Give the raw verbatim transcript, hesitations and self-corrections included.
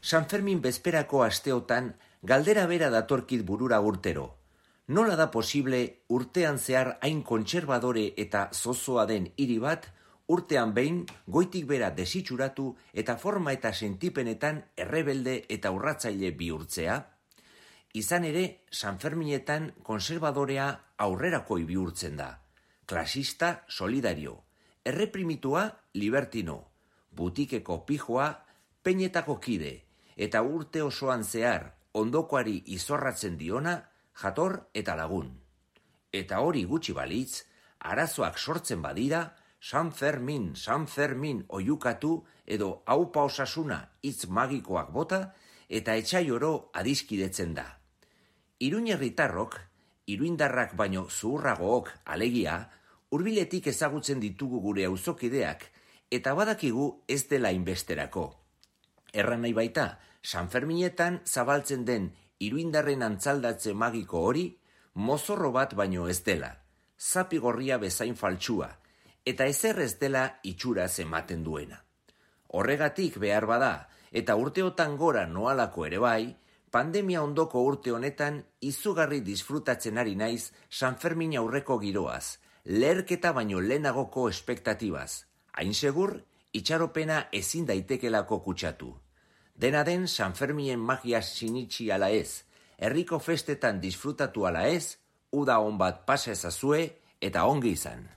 San Fermin bezperako asteotan galdera bera datorkit burura urtero. Nola da posible urtean zehar hain kontserbadore eta zozoa den hiri bat, urtean behin goitik bera desitxuratu eta forma eta sentipenetan errebelde eta urratzaile bihurtzea? Izan ere, San Ferminetan konserbadorea aurrerakoi bihurtzen da. Klasista solidario, erreprimitua libertino, butikeko pijoa peinetako kide, eta urte osoan zehar ondokoari izorratzen diona jator eta lagun. Eta hori gutxi balitz, arazoak sortzen badira, San Fermin, San Fermin oiukatu edo aupa osasuna hitz magikoak bota eta etxai oro adiskidetzen da. Iruñerritarrok, iruindarrak baino zuhurragook alegia, hurbiletik ezagutzen ditugu gure auzokideak eta badakigu ez dela inbesterako. Erran nahi baita, San Ferminetan zabaltzen den iruindarren antzaldatze magiko hori, mozorro bat baino ez dela, zapi gorria bezain faltsua, eta ezer ez dela itxuraz ematen duena. Horregatik behar bada, eta urteotan gora noalako ere bai, pandemia ondoko urte honetan izugarri disfrutatzen ari naiz San Fermin aurreko giroaz, leherketa baino lehenagoko espektatibaz, hain segur, itxaropena ezin daitekelako kutsatu. Dena den San Ferminen magia sinitsi ala ez, herriko festetan disfrutatu ala ez, uda on bat pasa ezazue eta ongi izan.